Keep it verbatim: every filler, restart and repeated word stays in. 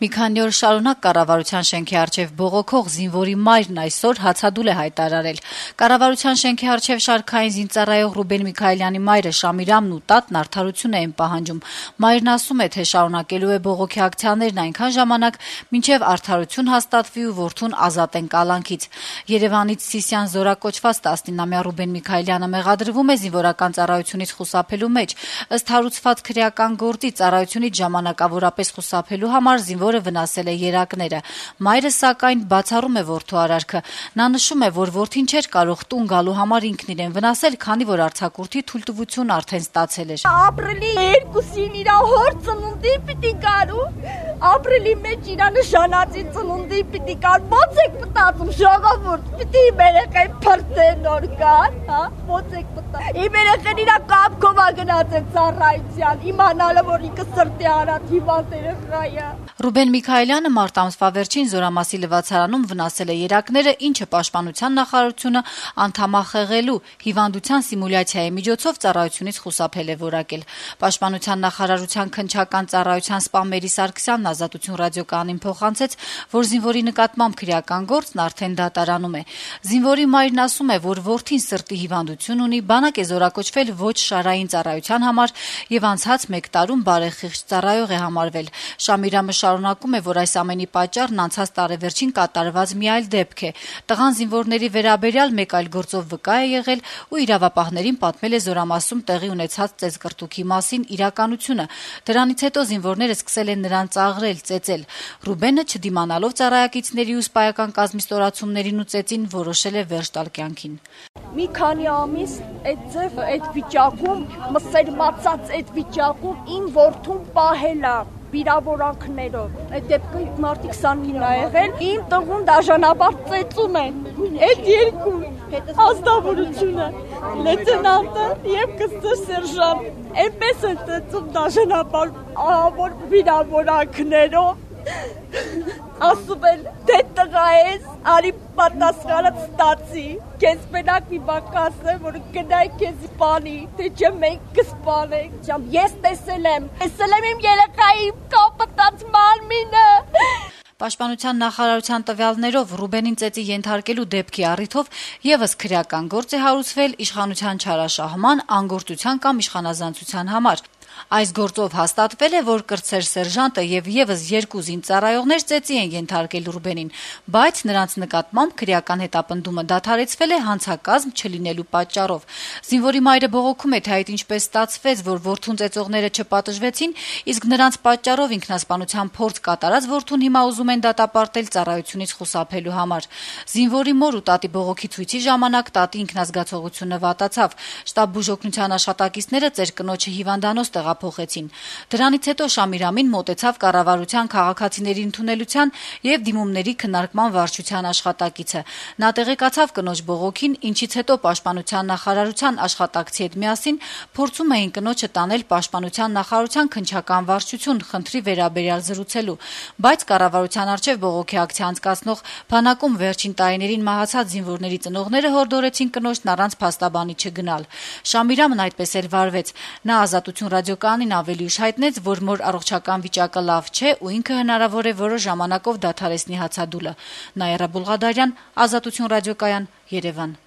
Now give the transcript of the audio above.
Մի քանի օր շարունակ կառավարության շենքի առջև բողոքող զինվորի մայրն այսօր հացադուլ է հայտարարել։ Կառավարության շենքի առջև շարքային զինծառայող Ռուբեն Միքայելյանի մայրը Շամիրամն ու տատն արդարություն էին պահանջում։ Մայրն ասում է, թե շարունակելու է բողոքի ակցիաներն այնքան ժամանակ, մինչև արդարություն հաստատվի ու որդուն ազատեն կալանքից։ Երևանից Սիսիան զորակոչված տասնինամյա Ռուբեն Միքայելյանը մեղադրվում է զինվորական ծառայությունից խուսափելու մեջ։ Ըստ հարուցված քրեական գործի ծառայությունից ժամանակավորապես խուսափելու համար զինվոր վնասել է երակները։ Մայրը սակայն բացառում է որդու արարքը։ Նա նշում է, որ որդին չէր կարող տուն գալու համար ինքն իրեն վնասել, քանի որ արձակուրդի թույլտվություն արդեն ստացել էր։ Ապրիլի երկուսին իր հոր ծնունդի պիտի գարու, ապրիլի մեջ իր նշանածի ծնունդի պիտի գար, ո՞նց եք մտածում ժողովուրդ, պիտի մեր երեխային փրկեն նոր գար, հա, ո՞նց եք մտածում։ Իմ երեխան իր կապքով գնացել ծառայության, իմանալը որ ինքը սրտի արած հիվանդ երեխա է։ Ռուբեն Միքայելյանը մարտ ամսվա վերջին Զորամասի լվացարանում վնասել է երակները, ինչը Պաշտպանության նախարարությունը անդամախեղելու հիվանդության սիմուլյացիայի միջոցով ծառայությունից խուսափել է որակել։ Պաշտպանության նախարարության քննչական ծառայության սպա Մերի Սարգսյանն Ազատություն ռադիոկայանին փոխանցեց, որ զինվորի նկատմամբ քրեական գործն արդեն դատարանում է։ Զինվորի մայրն ասում է, որ որդին սրտի հիվանդություն ունի, բանակ է զորակոչվել ոչ շարային ծառայության համար եւ անցած մեկ տարում բարեխիղճ ծառայող է համարվել։ Շամիրամը շարունակում է, որ այս ամենի պատճառն անցած տարեվերջին կատարված մի այլ դեպք է։ Տղան զինվորների վերաբերյալ մեկ այլ գործով վկա է եղել ու իրավապահներին պատմել է Զորամասում տեղի ունեցած ծեծկռտուքի մասին իրականությունը։ Դրանից հետո զինվորները սկսել են նրան ծաղրել, ծեծել։ Ռուբենը, չդիմանալով ծառայակիցների ու սպայական կազմի ստորացումներին ու ծեծին, որոշել է վերջ տալ կյանքին։ Մի քանի ամիս այդ ձև այդ վիճակում, մսեր մացած այդ վիճակում իմ որդուն պահել է վիրավորանքներով։ Այդ դեպքը մարտի քսանինն է եղել։ Իմ տղուն դաժանաբար ծեծում են։ Այդ երկու ազնվորությունը, լեյտենանտը եւ կստր սերժանտ, այնպես են ծեծում դաժանաբար ահավոր վիրավորանքներով։ Ասում են, դե տղա ես, արի պատասխանը ստացի, կեզ մենակ մի բակ ասեմ, որ գնայ կեզ սպանի, թե չէ մենք կսպանենք, ճամ ես տեսել եմ, տեսել եմ իմ երեխայի կապտած մարմինը։ Պաշտպանության նախարարության տվյալներով Ռուբենին ծեծի ենթարկելու դեպքի առիթով եւս քրեական գործ է հարուցվել իշխանության չարաշահման, անգործության կամ իշխանազանցության համար։ Այս գործով հաստատվել է, որ կրտսեր սերժանտը եւ եւս երկու զինծառայողներ ծեծի են ենթարկել Ռուբենին, բայց նրանց նկատմամբ քրեական հետապնդումը դադարեցվել է հանցակազմ չլինելու պատճառով։ Զինվորի մայրը բողոքում է, թե այդ ինչպես ստացվեց, որ որդուն ծեծողները չպատժվեցին, իսկ նրանց պատճառով ինքնասպանության փորձ կատարած որդուն հիմա ուզում են դատապարտել ծառայությունից խուսափելու համար։ Զինվորի մոր ու տատի բողոքի ցույցի ժամանակ տատի ինքնազգացողությունը վատացավ։ Շտաբ բուժօգնության աշխատակիցները ծեր կնոջը հիվանդանոց տեղափոխեցին։ Դրանից հետո Շամիրամին մոտեցավ կառավարության քաղաքացիների ընդունելության եւ դիմումների քննարկման վարչության աշխատակիցը։ Նա տեղեկացավ կնոջ բողոքին, ինչից հետո Պաշտպանության նախարարության աշխատակցի հետ միասին փորձում էին կնոջը տանել Պաշտպանության նախարարության քննչական վարչություն խնդրի վերաբերյալ զրուցելու, բայց կառավարության առջև բողոքի ակցիա անցկացնող բանակում վերջին տարիներին մահացած զինվորների ծնողները հորդորեցին կնոջն առանց փաստաբանի չգնալ։ Շամիրամն այդպես էլ վարվեց։ Նա Ազատություն ռադիոկայանին ավելի ուշ հայտնեց, որ մոր առողջական վիճակը լավ չէ ու ինքը հնարավոր է որոշ ժամանակով դադարեցնի հացադուլը։ Նաիրա Բուլղադարյան, Ազատություն ռադիոկայան, Երևան։